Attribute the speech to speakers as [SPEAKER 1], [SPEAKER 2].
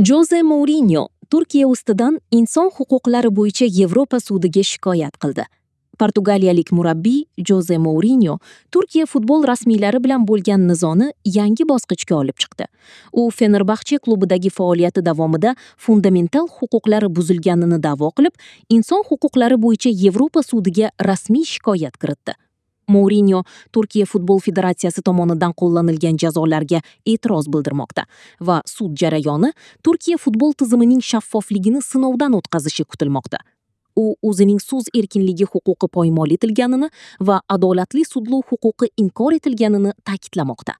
[SPEAKER 1] Joze Mourinyo Turkiya ustidan inson huquqlari bo'yicha Yevropa sudiga shikoyat qildi. Portugaliyalik murabbiy Joze Mourinyo Turkiya futbol rasmiylari bilan bo'lgan nizoni yangi bosqichga olib chiqdi. U Fenerbahche klubidagi faoliyati davomida fundamental huquqlari buzilganini da'vo qilib, inson huquqlari bo'yicha Yevropa sudiga rasmiy shikoyat kiritdi. Mourinyo Turkiya futbol federatsiyasi tomonidan qo'llanilgan jazolarga e'tiroz bildirmoqda va sud jarayoni Turkiya futbol tizimining shaffofligini sinovdan o'tkazishi kutilmoqda. U o'zining so'z erkinligi huquqi poymol etilganini va adolatli sudlov huquqi inkor etilganini ta'kidlamoqda.